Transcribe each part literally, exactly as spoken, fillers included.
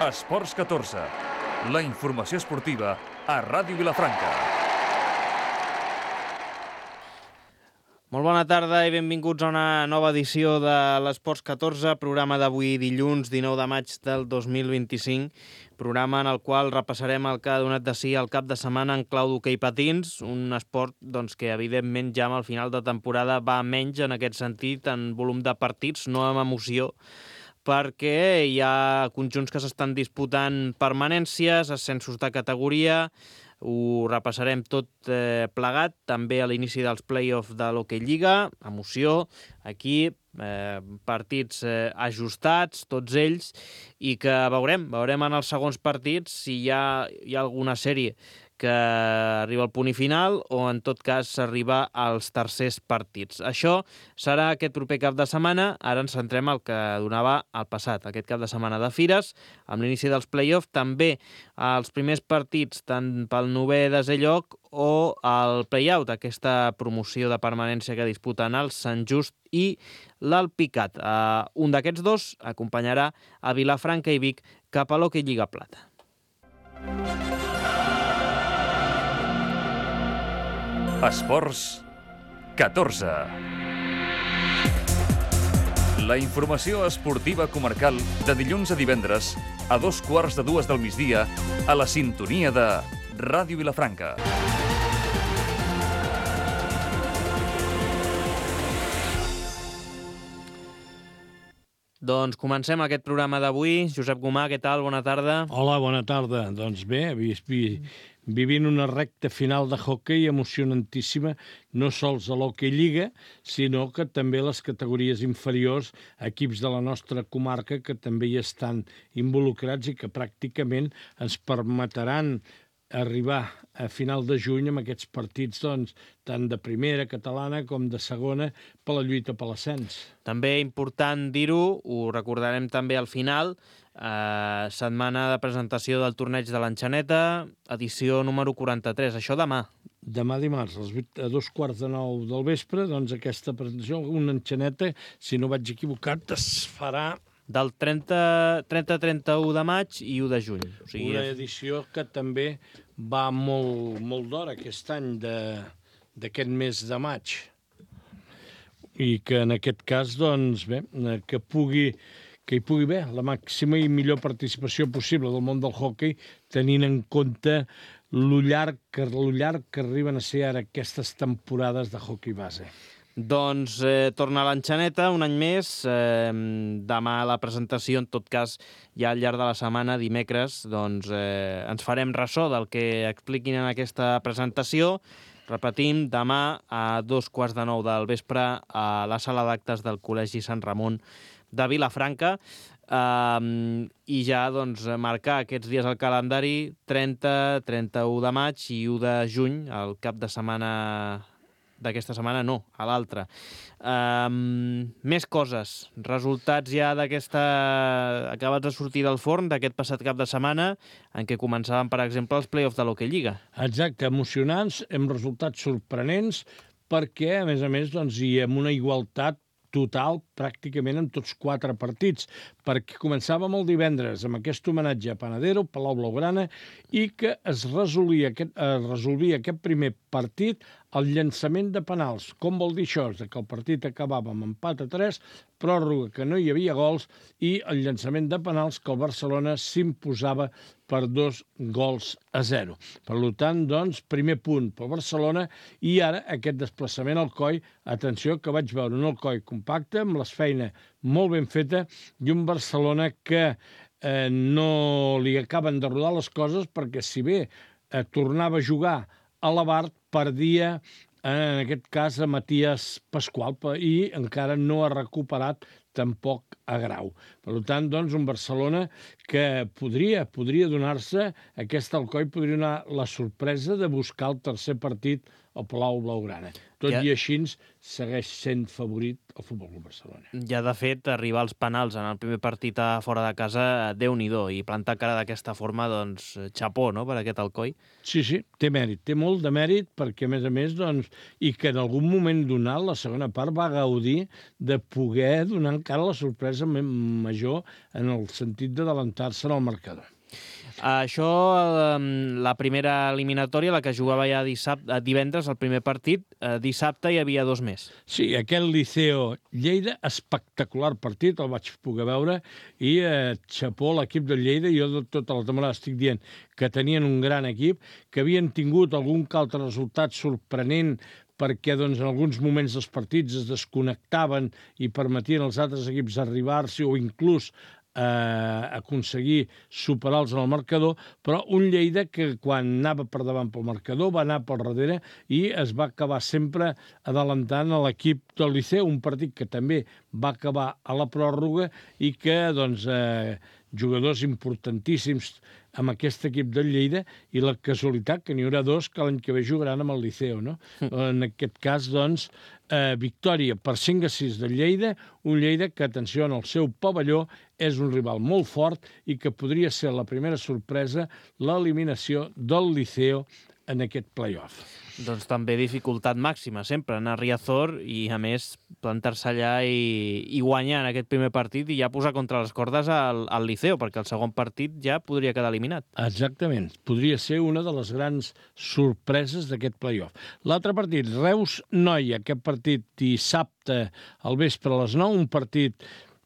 Esports catorze, la informació esportiva a Ràdio Vilafranca. Molt bona tarda i benvinguts a una nova edició de l'Esports catorze, programa d'avui dilluns dinou de maig del dos mil vint-i-cinc, programa en el qual repassarem el que ha donat de si el cap de setmana en clau d'hoquei patins, un esport doncs, que evidentment ja al final de temporada va menys en aquest sentit, en volum de partits, no amb emoció, perquè hi ha conjunts que s'estan disputant permanències, ascensos de categoria. Ho repassarem tot eh, plegat, també a l'inici dels play-offs de l'Hockey Lliga, emoció, aquí, eh, partits eh, ajustats, tots ells, i que veurem, veurem en els segons partits si hi ha, hi ha alguna sèrie que arriba al punt i final o en tot cas s'arriba als tercers partits. Això serà aquest proper cap de setmana. Ara ens centrem al que donava el passat, aquest cap de setmana de fires, amb l'inici dels play-offs, també els primers partits tant pel novè desè lloc o el play-out, aquesta promoció de permanència que disputen el Sant Just i l'Alpicat. Uh, un d'aquests dos acompanyarà a Vilafranca i Vic cap a l'Hockey Lliga Plata. Esports catorze. La informació esportiva comarcal de dilluns a divendres a dos quarts de dues del migdia a la sintonia de Ràdio Vilafranca. Doncs comencem aquest programa d'avui. Josep Gomà, què tal? Bona tarda. Hola, bona tarda. Doncs bé, vi, vi, vivint una recta final de hoquei emocionantíssima, no sols a l'Hockey Lliga, sinó que també les categories inferiors, equips de la nostra comarca que també hi estan involucrats i que pràcticament ens permetran arribar a final de juny amb aquests partits, doncs, tant de primera catalana com de segona per la lluita per l'ascens. També important dir-ho, ho recordarem també al final, eh, setmana de presentació del torneig de l'Enxaneta, edició número quaranta-tres, això demà. Demà dimarts, a dos quarts de nou del vespre, doncs aquesta presentació, una Enxaneta, si no vaig equivocat, es farà del trenta trenta u de maig i u de juny. O sigui, una edició que també va molt, molt d'hora aquest any d'aquest mes de maig. I que en aquest cas, doncs, bé, que pugui que hi pugui haver la màxima i millor participació possible del món del hoquei, tenint en compte lo llarg, lo llarg que arriben a ser ara aquestes temporades de hoquei base. Doncs eh, torna a l'Enxaneta un any més, eh, demà la presentació, en tot cas ja al llarg de la setmana, dimecres, doncs eh, ens farem ressò del que expliquin en aquesta presentació. Repetim, demà a dos quarts de nou del vespre a la sala d'actes del Col·legi Sant Ramon de Vilafranca, eh, i ja doncs marcar aquests dies al calendari, trenta, trenta-u de maig i u de juny, el cap de setmana d'aquesta setmana no, a l'altra. Um, més coses, resultats ja d'aquesta acabats de sortir del forn d'aquest passat cap de setmana, en què començaven, per exemple, els play-offs de l'Hockey Lliga. Exacte, emocionants, amb resultats sorprenents, perquè, a més a més, doncs, hi ha una igualtat total pràcticament en tots quatre partits, perquè començàvem el divendres amb aquest homenatge a Panadero, Palau Blaugrana, i que es resolia aquest, es resolvia aquest primer partit al llançament de penals. Com vol dir això? Que el partit acabava amb empat a tres, pròrroga que no hi havia gols i el llançament de penals que el Barcelona s'imposava per dos gols a zero. Per tant, doncs, primer punt pel Barcelona i ara aquest desplaçament al Coi, atenció que vaig veure un Alcoi compacte amb les feina molt ben feta i un Barcelona que eh, no li acaben de rodar les coses perquè si bé eh, tornava a jugar a l'Abart, perdia en aquest cas a Matías Pasqual i encara no ha recuperat tampoc a Grau. Per tant, doncs, un Barcelona que podria, podria donar-se, aquest Alcoi podria donar la sorpresa de buscar el tercer partit al Palau Blaugrana. Tot Ja. i així segueix sent favorit el Futbol Club Barcelona. Ja, de fet, arribar als penals en el primer partit a fora de casa, Déu-n'hi-do, i plantar cara d'aquesta forma, doncs, xapó, no?, per aquest Alcoi. Sí, sí, té mèrit, té molt de mèrit, perquè, a més a més, doncs, i que en algun moment donat, la segona part va gaudir de poder donar encara la sorpresa major en el sentit d'adelantar-se en el marcador. Això, la primera eliminatòria, la que jugava ja dissabte, divendres, el primer partit, dissabte hi havia dos més. Sí, aquest Liceo Lleida, espectacular partit, el vaig poder veure, i eh, xapó l'equip del Lleida, jo de tota la temporada estic dient que tenien un gran equip, que havien tingut algun que altre resultat sorprenent, perquè doncs, en alguns moments dels partits es desconnectaven i permetien als altres equips arribar-s'hi o inclús eh, aconseguir superar-los en el marcador, però un Lleida que quan anava per davant pel marcador va anar pel darrere i es va acabar sempre adelantant a l'equip del Liceu, un partit que també va acabar a la pròrroga i que doncs, eh, jugadors importantíssims amb aquest equip del Lleida, i la casualitat que n'hi haurà dos que l'any que ve jugaran amb el Liceu, no? En aquest cas, doncs, eh, victòria per cinc a sis del Lleida, un Lleida que, atenció, en el seu pavelló és un rival molt fort i que podria ser la primera sorpresa l'eliminació del Liceo en aquest play-off. Doncs també dificultat màxima, sempre, anar a Riazor i, a més, plantar-se allà i, i guanyar en aquest primer partit i ja posar contra les cordes al, al Liceo, perquè el segon partit ja podria quedar eliminat. Exactament. Podria ser una de les grans sorpreses d'aquest play-off. L'altre partit, Reus-Noia, aquest partit dissabte al vespre a les nou, un partit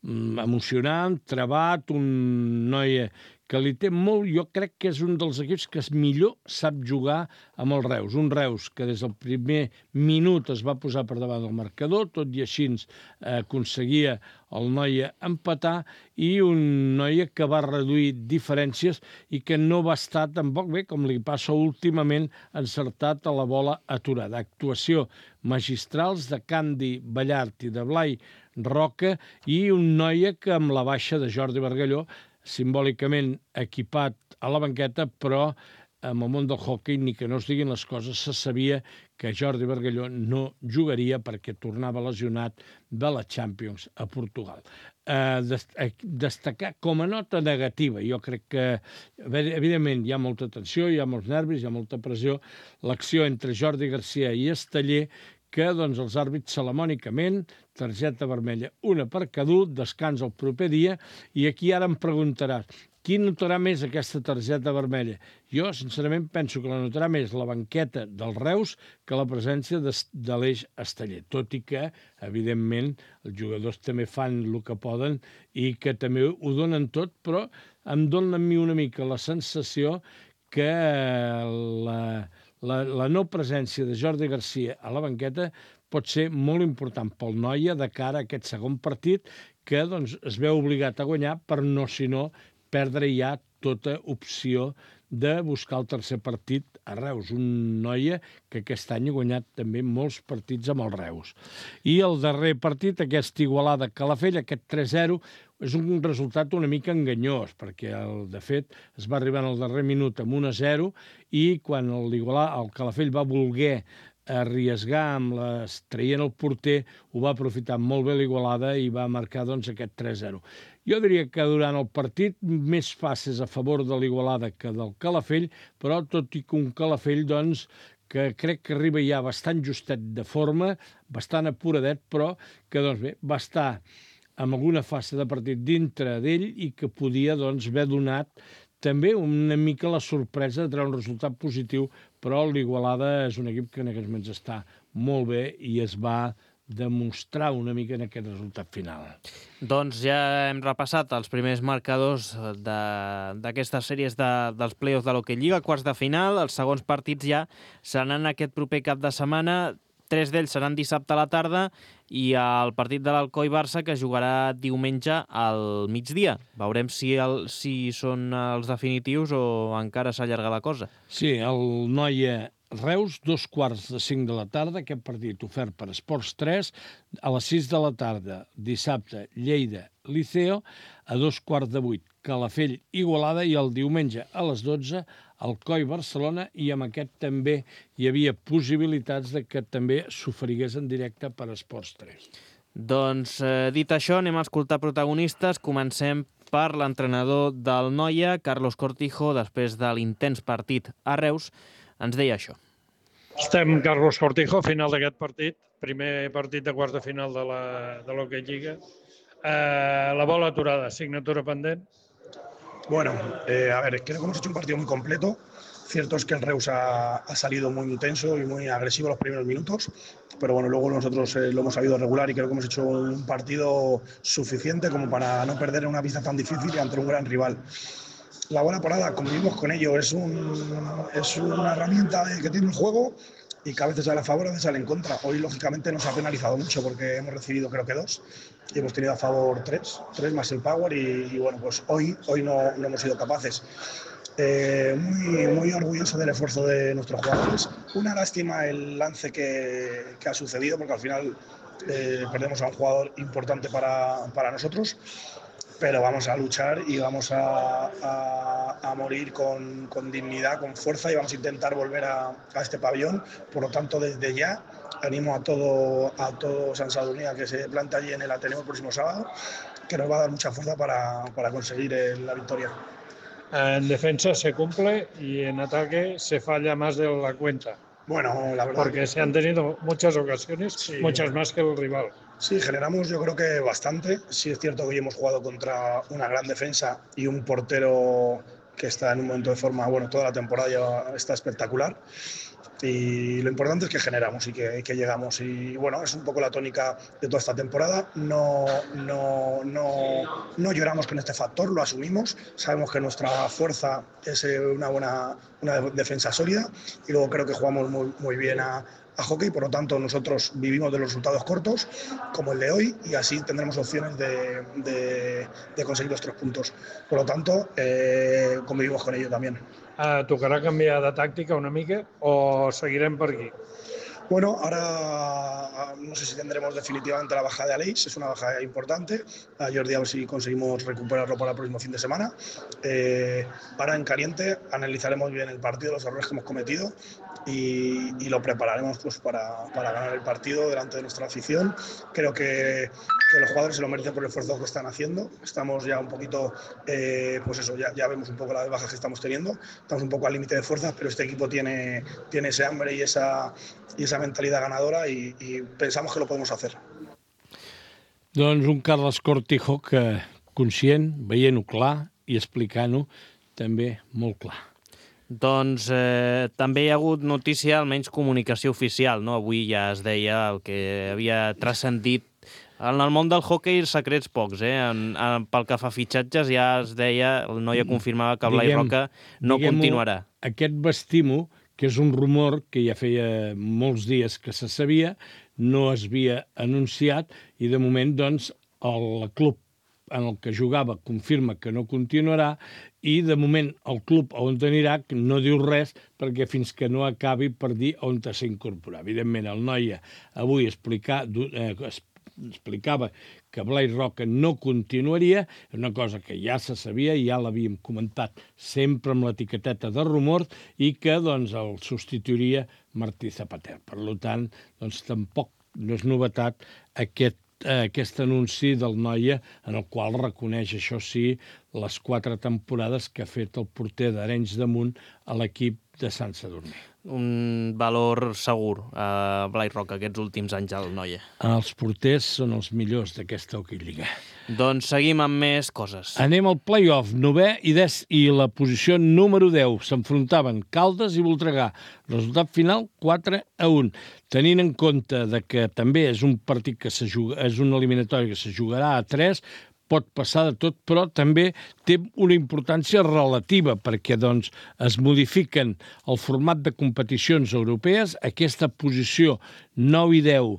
mm, emocionant, trebat, un Noia que li té molt, jo crec que és un dels equips que millor sap jugar amb el Reus. Un Reus que des del primer minut es va posar per davant del marcador, tot i així eh, aconseguia el Noia empatar, i un Noia que va reduir diferències i que no va estar tampoc bé, com li passa últimament, encertat a la bola aturada. Actuació magistrals de Candi Ballart i de Blai Roca, i un Noia que amb la baixa de Jordi Bargalló, simbòlicament equipat a la banqueta, però amb el món del hoquei, ni que no es diguin les coses, se sabia que Jordi Bargalló no jugaria perquè tornava lesionat de la Champions a Portugal. Eh, destacar com a nota negativa, jo crec que, evidentment, hi ha molta tensió, hi ha molts nervis, hi ha molta pressió, l'acció entre Jordi Garcia i Esteller, que doncs, els àrbits salamònicament, targeta vermella, una per cada un, descans el proper dia, i aquí ara em preguntaràs, qui notarà més aquesta targeta vermella? Jo, sincerament, penso que la notarà més la banqueta del Reus que la presència de, de l'Eix Esteller, tot i que, evidentment, els jugadors també fan el que poden i que també ho donen tot, però em dona a mi una mica la sensació que la... La, la no presència de Jordi Garcia a la banqueta pot ser molt important pel Noia de cara a aquest segon partit que doncs, es veu obligat a guanyar per no, si no, perdre ja tota opció de buscar el tercer partit a Reus. Un Noia que aquest any ha guanyat també molts partits amb el Reus. I el darrer partit, aquest Igualada Calafell, aquest tres zero, és un resultat una mica enganyós, perquè, el, de fet, es va arribar en el darrer minut amb un a zero i quan l'Igualada, el Calafell va voler arriesgar amb les, traient el porter, ho va aprofitar molt bé l'Igualada i va marcar doncs, aquest tres zero. Jo diria que durant el partit més fases a favor de l'Igualada que del Calafell, però tot i que un Calafell doncs, que crec que arriba ja bastant justet de forma, bastant apuradet, però que doncs, bé, va estar amb alguna fase de partit dintre d'ell i que podia doncs, haver donat també una mica la sorpresa de treure un resultat positiu, però l'Igualada és un equip que en aquests moments està molt bé i es va demostrar una mica en aquest resultat final. Doncs ja hem repassat els primers marcadors d'aquestes sèries de, dels play-offs de l'Hockey Lliga, quarts de final. Els segons partits ja seran aquest proper cap de setmana. Tres d'ells seran dissabte a la tarda i el partit de l'Alcoi Barça que jugarà diumenge al migdia. Veurem si, el, si són els definitius o encara s'allarga la cosa. Sí, el Noia Reus, dos quarts de cinc de la tarda, aquest partit ofert per Esports tres, a les sis de la tarda, dissabte, Lleida, Liceo, a dos quarts de vuit, Calafell Igualada i el diumenge a les dotze Alcoi Barcelona, i amb aquest també hi havia possibilitats de que també s'oferigués en directe per Esports tres. Doncs eh, dit això, anem a escoltar protagonistes. Comencem per l'entrenador del Noia, Carlos Cortijo, després de l'intens partit a Reus, ens deia això. Estem Carlos Cortijo, final d'aquest partit, primer partit de quarts de final de la de l'Hockey Lliga. Eh, la bola aturada, signatura pendent. Bueno, eh, a ver, creo que hemos hecho un partido muy completo. Cierto es que el Reus ha, ha salido muy intenso y muy agresivo los primeros minutos, pero bueno, luego nosotros eh, lo hemos sabido regular y creo que hemos hecho un partido suficiente como para no perder una pista tan difícil y ante un gran rival. La bola parada, convivimos con ello, es, un, es una herramienta que tiene el juego y que a veces sale a favor, a veces sale en contra. Hoy, lógicamente, nos ha penalizado mucho porque hemos recibido, creo que dos, y hemos tenido a favor tres, tres más el power y, y bueno, pues hoy, hoy no, no hemos sido capaces. Eh, muy, muy orgulloso del esfuerzo de nuestros jugadores. Una lástima el lance que, que ha sucedido porque al final eh, perdemos a un jugador importante para, para nosotros. Pero vamos a luchar y vamos a, a, a morir con, con dignidad, con fuerza, y vamos a intentar volver a, a este pabellón. Por lo tanto, desde ya animo a todo, a todo San Sadurní a que se plante allí en el Ateneo el próximo sábado, que nos va a dar mucha fuerza para, para conseguir el, la victoria. En defensa se cumple y en ataque se falla más de la cuenta. Bueno, la verdad. Porque se han tenido muchas ocasiones, sí, muchas más que el rival. Sí, generamos yo creo que bastante. Sí es cierto que hoy hemos jugado contra una gran defensa y un portero que está en un momento de forma, bueno, toda la temporada ya está espectacular. Y lo importante es que generamos y que, que llegamos. Y bueno, es un poco la tónica de toda esta temporada. No, no, no, no lloramos con este factor, lo asumimos. Sabemos que nuestra fuerza es una buena una defensa sólida. Y luego creo que jugamos muy, muy bien a, a hockey. Por lo tanto, nosotros vivimos de los resultados cortos, como el de hoy, y así tendremos opciones de, de, de conseguir los tres puntos. Por lo tanto, eh, convivimos con ello también. Eh, tocarà canviar de tàctica una mica o seguirem per aquí? Bueno, ahora no sé si tendremos definitivamente la baja de Aleix, es una baja importante. A Jordi a ver si conseguimos recuperarlo para el próximo fin de semana. Eh, ahora en caliente analizaremos bien el partido, los errores que hemos cometido y, y lo prepararemos pues, para, para ganar el partido delante de nuestra afición. Creo que, que los jugadores se lo merecen por el esfuerzo que están haciendo. Estamos ya un poquito, eh, pues eso, ya, ya vemos un poco las bajas que estamos teniendo. Estamos un poco al límite de fuerzas, pero este equipo tiene, tiene ese hambre y esa, y esa mentalidad ganadora y, y pensamos que lo podemos hacer. Doncs un Carles Cortijo que conscient, veient-ho clar i explicant-ho també molt clar. Doncs eh, també hi ha hagut notícia, almenys comunicació oficial, no? Avui ja es deia el que havia transcendit. En el món del hoquei secrets pocs, eh? En, en, pel que fa fitxatges ja es deia, el Noia confirmava que Blai Roca no continuarà. Aquest vestim-ho, que és un rumor que ja feia molts dies que se sabia, no es havia anunciat i de moment doncs el club en el que jugava confirma que no continuarà i de moment el club on anirà no diu res perquè fins que no acabi per dir on s'incorporarà. Evidentment el Noia avui explicar, eh, explicava que Blai Roca no continuaria, una cosa que ja se sabia i ja l'havíem comentat sempre amb l'etiqueteta de rumor i que doncs, el substituiria Martí Zapater. Per tant, doncs, tampoc no és novetat aquest, eh, aquest anunci del Noia en el qual reconeix, això sí, les quatre temporades que ha fet el porter d'Arenys de Munt a l'equip de Sant Sadurní. Un valor segur a Blai Roca aquests últims anys al Noia. Els porters són els millors d'aquesta Hockey Lliga. Doncs seguim amb més coses. Anem al play-off. Novè i, des, i la posició número deu. S'enfrontaven Caldes i Voltregà. Resultat final quatre a un. Tenint en compte de que també és un partit que se juga, és una eliminatòria que se jugarà a tres, pot passar de tot, però també té una importància relativa perquè doncs, es modifiquen el format de competicions europees. Aquesta posició nou i deu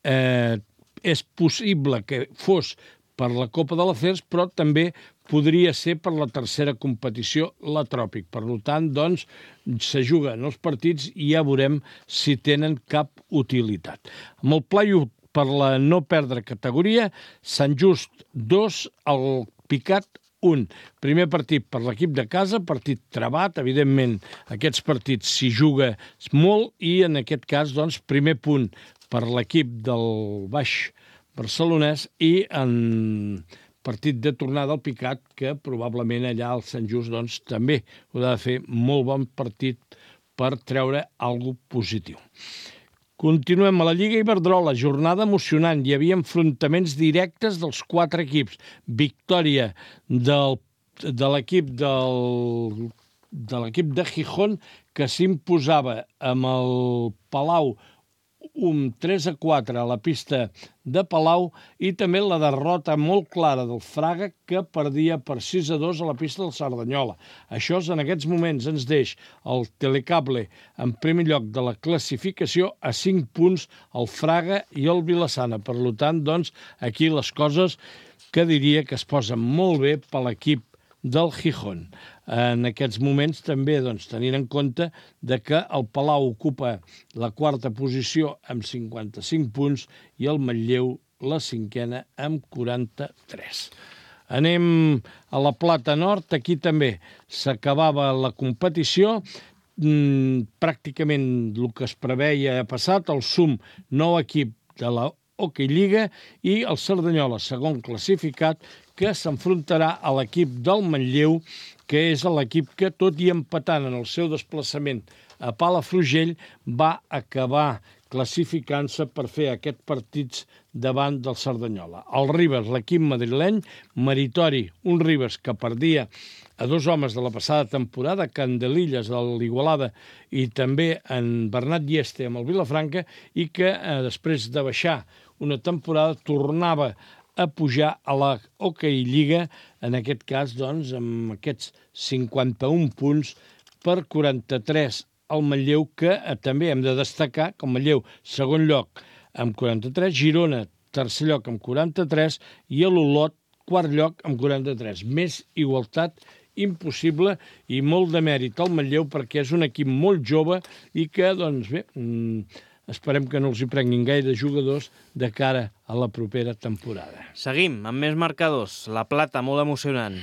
eh, és possible que fos per la Copa de l'Acers, però també podria ser per la tercera competició, la Tròpic. Per tant, doncs, se juguen els partits i ja veurem si tenen cap utilitat. Amb el play-off per la no perdre categoria, Sant Just dos, el Picat un. Primer partit per l'equip de casa, partit trebat, evidentment aquests partits s'hi juga molt i en aquest cas, doncs, primer punt per l'equip del Baix Barcelonès i en partit de tornada al Picat, que probablement allà al Sant Just doncs, també haurà de fer molt bon partit per treure alguna cosa positiu. Continuem a la Lliga Iberdrola, jornada emocionant. Hi havia enfrontaments directes dels quatre equips. Victòria del, de l'equip del, de l'equip de Gijón, que s'imposava amb el Palau un tres a quatre a la pista de Palau i també la derrota molt clara del Fraga, que perdia per sis a dos a la pista del Cerdanyola. Això en aquests moments ens deix el Telecable en primer lloc de la classificació a cinc punts el Fraga i el Vilassana. Per tant, doncs, aquí les coses que diria que es posen molt bé per l'equip del Gijón. En aquests moments també doncs, tenint en compte de que el Palau ocupa la quarta posició amb cinquanta-cinc punts i el Manlleu la cinquena amb quaranta-tres. Anem a la Plata Nord, aquí també s'acabava la competició, mm, pràcticament el que es preveia ha passat, el sum nou equip de la Hockey Lliga i el Cerdanyola, segon classificat, que s'enfrontarà a l'equip del Manlleu, que és l'equip que, tot i empatant en el seu desplaçament a Palafrugell, va acabar classificant-se per fer aquests partits davant del Cerdanyola. El Ribes, l'equip madrileny, meritori, un Ribes que perdia a dos homes de la passada temporada, Candelillas de l'Igualada i també en Bernat Dieste amb el Vilafranca, i que eh, després de baixar una temporada tornava a pujar a la Hockey Lliga, en aquest cas, doncs, amb aquests cinquanta-un punts per quaranta-tres al Manlleu, que eh, també hem de destacar que el Manlleu, segon lloc amb quaranta-tres, Girona, tercer lloc amb quaranta-tres i l'Olot, quart lloc amb quaranta-tres. Més igualtat impossible i molt de mèrit al Manlleu perquè és un equip molt jove i que, doncs bé, esperem que no els hi prenguin gaire jugadors de cara a la propera temporada. Seguim amb més marcadors. La Plata, molt emocionant.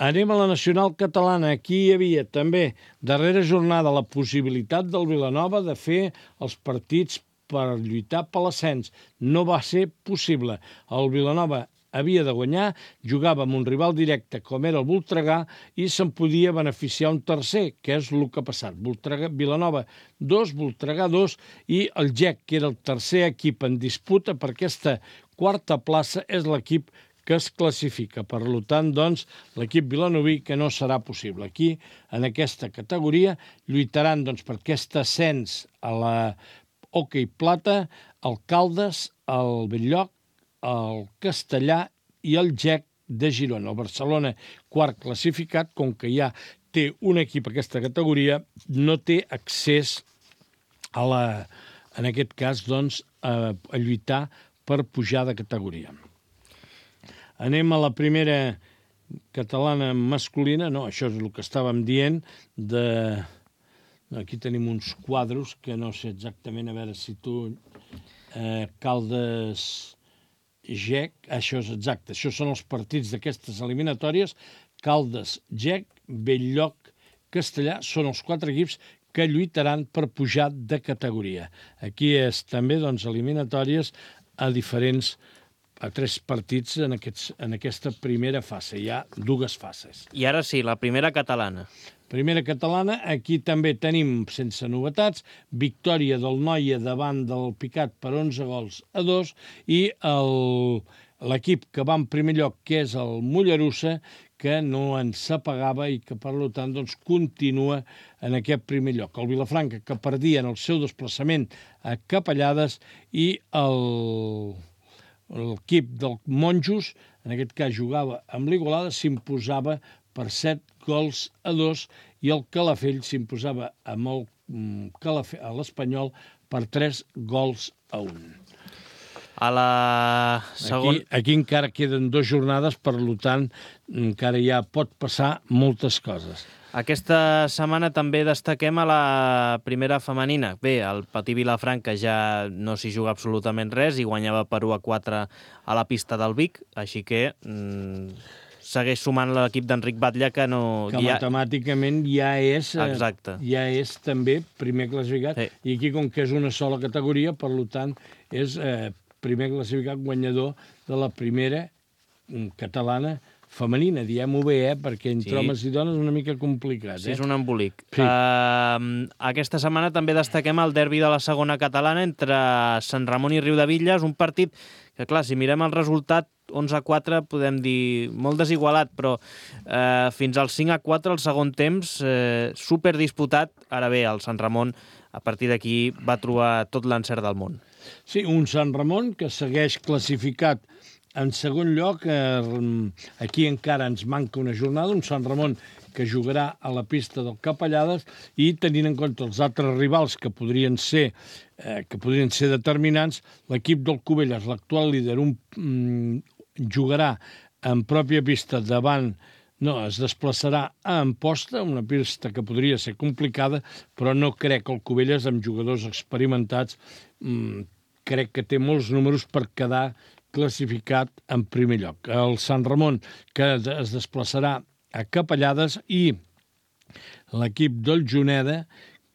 Anem a la Nacional Catalana. Aquí hi havia també, darrera jornada, la possibilitat del Vilanova de fer els partits per lluitar per l'ascens. No va ser possible. El Vilanova havia de guanyar, jugava amb un rival directe com era el Voltregà i se'n podia beneficiar un tercer, que és el que ha passat. Voltregà, Vilanova dos, Voltregà dos i el G E C, que era el tercer equip en disputa per aquesta quarta plaça, és l'equip que es classifica. Per tant, doncs, l'equip vilanoví que no serà possible. Aquí, en aquesta categoria, lluitaran doncs, per aquest ascens a la Hockey Plata, el Caldes, el Belllloc, el Castellà i el G E C de Girona. El Barcelona, quart classificat, com que ja té un equip a aquesta categoria, no té accés a la, en aquest cas, doncs, a, a lluitar per pujar de categoria. Anem a la primera catalana masculina. No, això és el que estàvem dient. De... Aquí tenim uns quadros que no sé exactament, a veure si tu... Eh, Caldes... G E C, això és exacte, això són els partits d'aquestes eliminatòries. Caldes, G E C, Belllloc, Castellà, són els quatre equips que lluitaran per pujar de categoria. Aquí és també, doncs, eliminatòries a diferents, a tres partits en, aquests, en aquesta primera fase. Hi ha dues fases. I ara sí, la primera catalana. Primera catalana, aquí també tenim, sense novetats, victòria del Noia davant del Picat per onze gols a dos i l'equip que va en primer lloc, que és el Mollerussa, que no ens apagava i que, per tant, doncs, continua en aquest primer lloc. El Vilafranca, que perdia en el seu desplaçament a Capellades, i l'equip del Monjos, en aquest cas jugava amb l'Igualada, s'imposava per set gols a dos i el Calafell s'imposava amb el Calafell, a l'Espanyol per tres gols a un. A la segon... Aquí, aquí encara queden dues jornades, per tant, encara ja pot passar moltes coses. Aquesta setmana també destaquem a la primera femenina. Bé, el Patí Vilafranca ja no s'hi juga absolutament res i guanyava per u a quatre a la pista del Vic, així que... Mmm... segueix sumant l'equip d'Enric Batlle, que no... Que ja... matemàticament ja és, Exacte. ja és també primer classificat. Sí. I aquí, com que és una sola categoria, per tant, és eh, primer classificat guanyador de la primera catalana femenina, diem-ho bé, eh? Perquè entre sí. homes i dones és una mica complicat. Sí, eh? és un embolic. Sí. Uh, aquesta setmana també destaquem el derbi de la segona catalana entre Sant Ramon i Riudebitlles, un partit que, clar, si mirem el resultat, onze a quatre, podem dir molt desigualat, però eh, fins al cinc a quatre, el segon temps, eh, superdisputat. Ara bé, el Sant Ramon, a partir d'aquí, va trobar tot l'encert del món. Sí, un Sant Ramon que segueix classificat en segon lloc. Eh, aquí encara ens manca una jornada, un Sant Ramon que jugarà a la pista del Capellades, i tenint en compte els altres rivals que podrien ser eh, que podrien ser determinants, l'equip del Cubelles, l'actual líder, un, mm, jugarà en pròpia pista davant, no, es desplaçarà a Amposta, una pista que podria ser complicada, però no crec que el Cubelles, amb jugadors experimentats, mm, crec que té molts números per quedar classificat en primer lloc. El Sant Ramon, que es desplaçarà a Capellades, i l'equip del Juneda,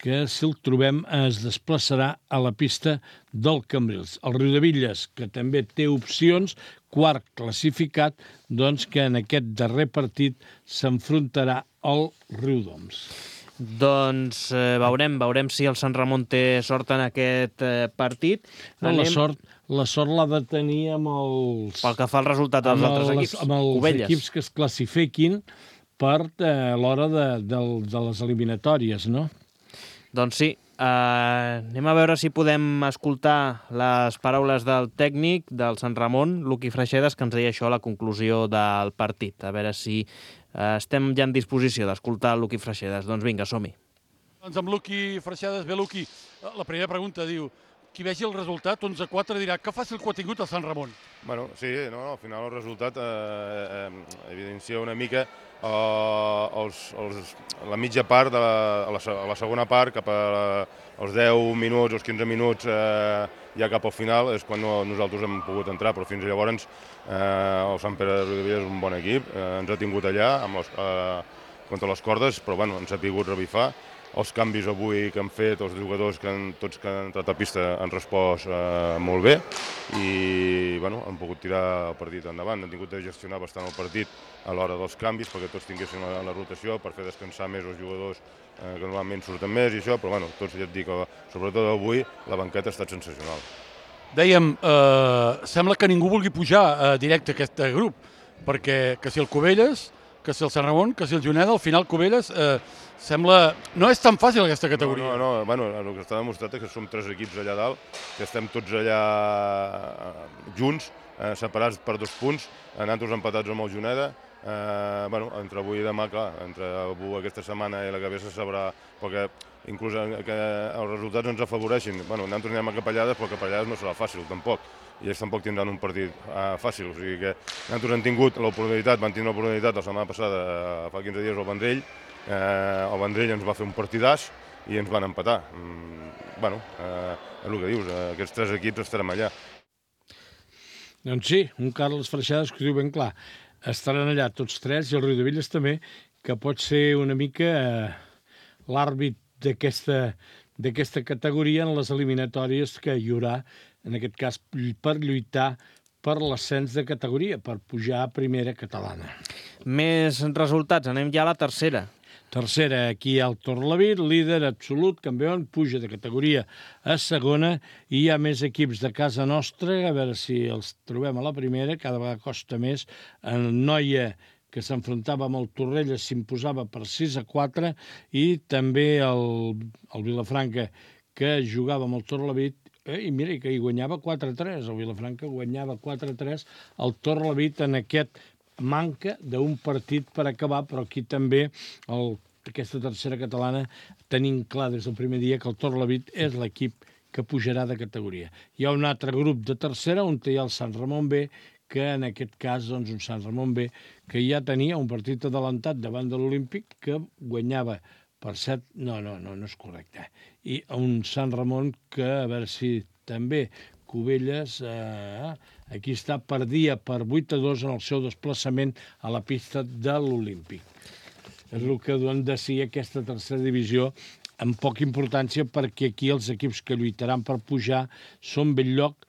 que, si el trobem, es desplaçarà a la pista del Cambrils. El Riudebitlles, que també té opcions, quart classificat, doncs que en aquest darrer partit s'enfrontarà al Riudoms. Doncs eh, veurem, veurem si el Sant Ramon té sort en aquest eh, partit. No, Anem... la sort la sort l'ha de tenir amb els... Pel que fa al resultat dels altres les, equips. Amb els Cubelles. Equips que es classifiquin per eh, l'hora de, de, de les eliminatòries, no? Doncs sí. Uh, anem a veure si podem escoltar les paraules del tècnic del Sant Ramon, Luqui Freixedes, que ens deia això a la conclusió del partit. A veure si uh, estem ja en disposició d'escoltar Luqui Freixedes. Doncs vinga, som-hi. Doncs amb Luqui Freixedes. Bé, Luqui, la primera pregunta diu: qui vegi el resultat, onze a quatre, dirà que fàcil que ho ha tingut el Sant Ramon. Bueno, sí, no, no, al final el resultat eh, eh, evidencia una mica eh, els, els, la mitja part, de la, a, la, a la segona part, cap als deu minuts, els quinze minuts, eh, ja cap al final, és quan no, nosaltres hem pogut entrar, però fins llavors eh, el Sant Pere de Riudebitlles és un bon equip, eh, ens ha tingut allà amb les, eh, contra les cordes, però bueno, ens ha pogut revifar. Els canvis avui que han fet, els jugadors que han, tots que han entrat a pista han respost eh, molt bé i bueno, han pogut tirar el partit endavant. Han tingut de gestionar bastant el partit a l'hora dels canvis perquè tots tinguessin la, la rotació per fer descansar més els jugadors eh, que normalment surten més i això, però bueno, tots ja et dic que sobretot avui la banqueta ha estat sensacional. Dèiem, eh, sembla que ningú vulgui pujar eh, directe a aquest grup, perquè que si el Cubelles, que si el Sant Ramon, que si el Juneda, al final Cubelles eh, sembla... No és tan fàcil aquesta categoria. No, no, no. Bueno, el que està demostrat és que som tres equips allà dalt, que estem tots allà junts, eh, separats per dos punts, nosaltres empatats amb el Juneda. Eh, bueno, entre avui i demà, clar, entre avui aquesta setmana i la que ve se sabrà, perquè inclús que els resultats ens afavoreixin. Bueno, nosaltres anem a Capellades, però Capellades no serà fàcil, tampoc. I ells tampoc tindran un partit uh, fàcil. O sigui que nosaltres hem tingut l'oportunitat, van tenir l'oportunitat la setmana passada, uh, fa quinze dies, al Vendrell. Uh, el Vendrell ens va fer un partidàs i ens van empatar. Mm, bueno, uh, és el que dius, uh, aquests tres equips estarem allà. Doncs sí, un Carles Freixedes que ho diu ben clar. Estaran allà tots tres, i el Riudebitlles també, que pot ser una mica uh, l'àrbit d'aquesta d'aquesta categoria en les eliminatòries que hi haurà, en aquest cas per lluitar per l'ascens de categoria, per pujar a primera catalana. Més resultats, anem ja a la tercera. Tercera, aquí hi ha el Torlavit, líder absolut, campió, puja de categoria a segona, i hi ha més equips de casa nostra, a veure si els trobem a la primera, cada vegada costa més. En Noia, que s'enfrontava amb el Torrelles, s'imposava per sis a quatre, i també el, el Vilafranca, que jugava amb el Torlavit, eh, i mira, que hi guanyava quatre a tres, el Vilafranca guanyava quatre a tres, el Torlavit en aquest manca d'un partit per acabar, però aquí també el, aquesta tercera catalana tenim clar des del primer dia que el Torlavit és l'equip que pujarà de categoria. Hi ha un altre grup de tercera on hi ha el Sant Ramon B, que en aquest cas, doncs, un Sant Ramon B, que ja tenia un partit adelantat davant de l'Olímpic, que guanyava per set... No, no, no, no és correcte. I un Sant Ramon que, a veure si també Cubelles, eh, Aquí està, perdia per vuit a dos en el seu desplaçament a la pista de l'Olímpic. És el que dona de si aquesta tercera divisió amb poca importància, perquè aquí els equips que lluitaran per pujar són Bell-lloc,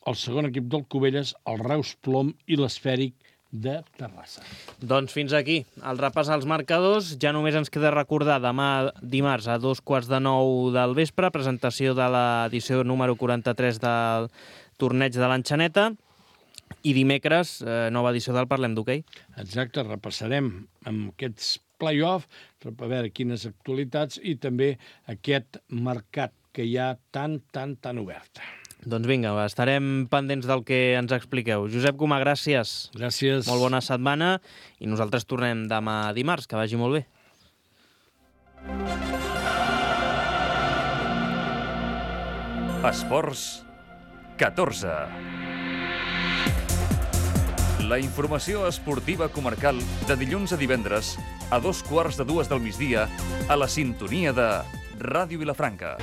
el segon equip del Cubelles, el Reus Plom i l'Esfèric de Terrassa. Doncs fins aquí el repàs als marcadors. Ja només ens queda recordar demà dimarts a dos quarts de nou del vespre, presentació de l'edició número quaranta-tres del torneig de l'Enxaneta, i dimecres eh, nova edició del Parlem d'Hoquei. Exacte, repassarem amb aquests play-off, a veure quines actualitats, i també aquest mercat que hi ha tan, tan, tan obert. Doncs vinga, estarem pendents del que ens expliqueu. Josep Comà, gràcies. Gràcies. Molt bona setmana i nosaltres tornem demà dimarts. Que vagi molt bé. Esports catorze. La informació esportiva comarcal de dilluns a divendres a dos quarts de dues del migdia a la sintonia de Ràdio Vilafranca.